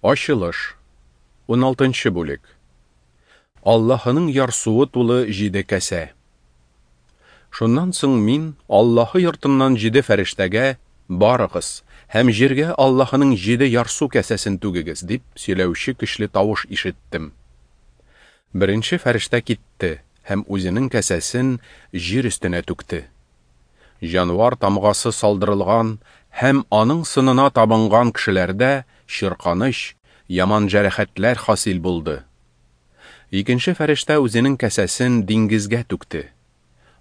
Ачылыш. Уналтынчы бүлек. Аллаһының ярсуы тулы җиде кәсә. Шуннан соң мин Аллаһы йортыннан җиде фәрештәгә, Барыгыз һәм җиргә Аллаһының җиде ярсу кәсәсен түгегез, дип сөйләүче көчле тавыш ишеттем. Беренче фәрештә китте һәм үзенең кәсәсен җир өстенә түкте. Җанвар тамгасы салдырылган һәм аның сынына табынган кешеләрдә чирканыч, яман җәрәхәтләр хасил булды. Икенче фәрештә үзенең кәсәсен диңгезгә түкте.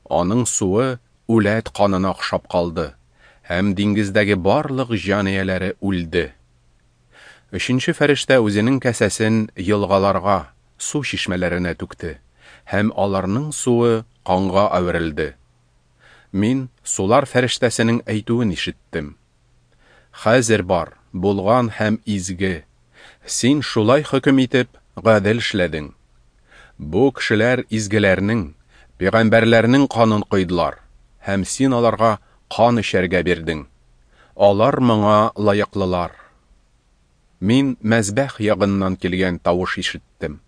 Аның суы үләт канына охшап калды, һәм диңгездәге барлык җан ияләре үлде. Өченче фәрештә үзенең кәсәсен елгаларга, су чишмәләренә түкте, һәм аларның суы канга әверелде. Мин сулар фәрештәсенең әйтүен ишеттем. Хәзер бар, булган һәм изге. Син шулай хөкем итеп, гадел эшләдең. Бу кешеләр изгеләрнең, пәйгамбәрләрнең канын койдылар, һәм син аларга кан эчәргә бирдең. Алар моңа лаеклылар. Мин мәзбәх ягыннан килгән тавыш ишеттем.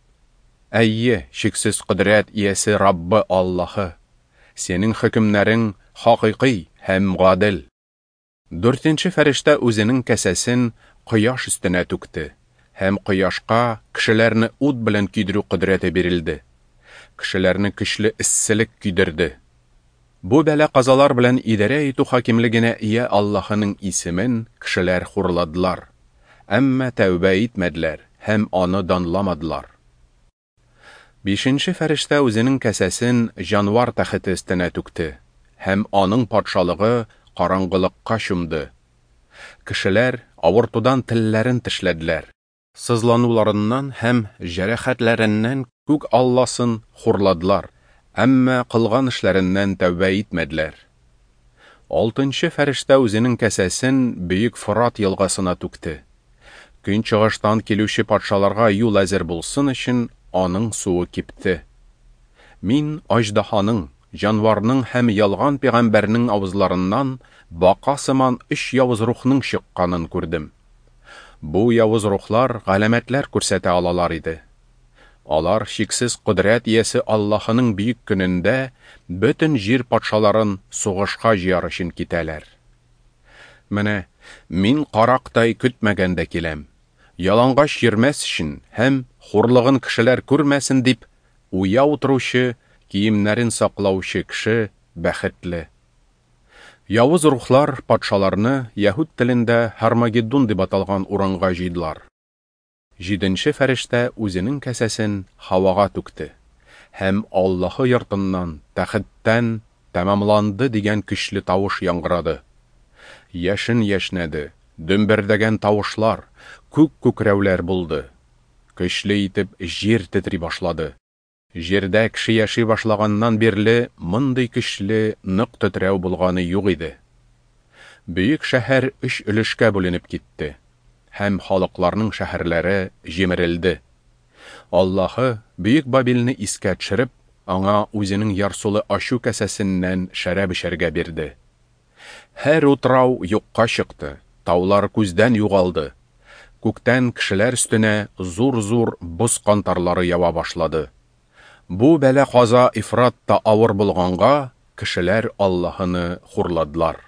Әйе, чиксез кодрәт иясе Раббы Аллаһы, синең хөкемнәрең хакыйкый һәм гадел. Дүртенче фәрештә үзенең кәсәсен кояш өстенә түкте, һәм кояшка кешеләрне ут белән көйдерү кодрәте бирелде. Кешеләрне көчле эсселек көйдерде. Бу бәла-казалар белән идарә итү хакимлегенә ия Аллаһының исемен кешеләр хурладылар, әмма тәүбә итмәделәр һәм аны данламадылар. Бишенче фәрештә үзенең кәсәсен җанвар тәхете өстенә түкте, һәм аның патшалыгы караңгылыкка чумды. Кешеләр авыртудан телләрен тешләделәр. Сызлануларыннан һәм җәрәхәтләреннән күк Алласын хурладылар, әмма кылган эшләреннән тәүбә итмәделәр. Алтынчы фәрештә үзенең кәсәсен бөек Форат елгасына түкте. Көнчыгыштан килүче патшаларга юл әзер булсын өчен аның суы кипте. Мин аҗдаһаның, җанварның һәм ялган пәйгамбәрнең авызларыннан бака сыман өч явыз рухның чыкканын күрдем. Бу явыз рухлар галәмәтләр күрсәтә алалар иде. Алар чиксез кодрәт иясе Аллаһының бөек көнендә бөтен җир патшаларын сугышка җыяр өчен китәләр. Менә мин карактай көтмәгәндә киләм. Ялангач йөрмәс өчен һәм хурлыгын кешеләр күрмәсен дип, уяу торучы, киемнәрен саклаучы кеше бәхетле. Явыз рухлар патшаларны яһүд телендә Һармагеддон дип аталган урынга җыйдылар. Җиденче фәрештә үзенең кәсәсен һавага түкте һәм Аллаһы йортыннан, тәхеттән тәмамланды дигән көчле тавыш яңгырады. Яшен яшнәде, дөмбердәгән тавышлар, күк күкрәүләр булды. Көчле итеп җир тетри башлады. Җирдә кеше яши башлаганнан бирле мондый көчле, нык тетрәү булганы юк иде. Бөек шәһәр өч өлешкә бүленеп китте, һәм халыкларның шәһәрләре җимерелде. Аллаһы бөек Бабилне искә төшереп, аңа үзенең ярсулы ачу кәсәсеннән шәраб эчәргә бирде. Һәр утрау юкка чыкты, таулар күздән югалды. Күктән кешеләр өстенә зур-зур боз кантарлары ява башлады. Бу бәла-каза ифрат та авыр булганга, кешеләр Аллаһыны хурладылар.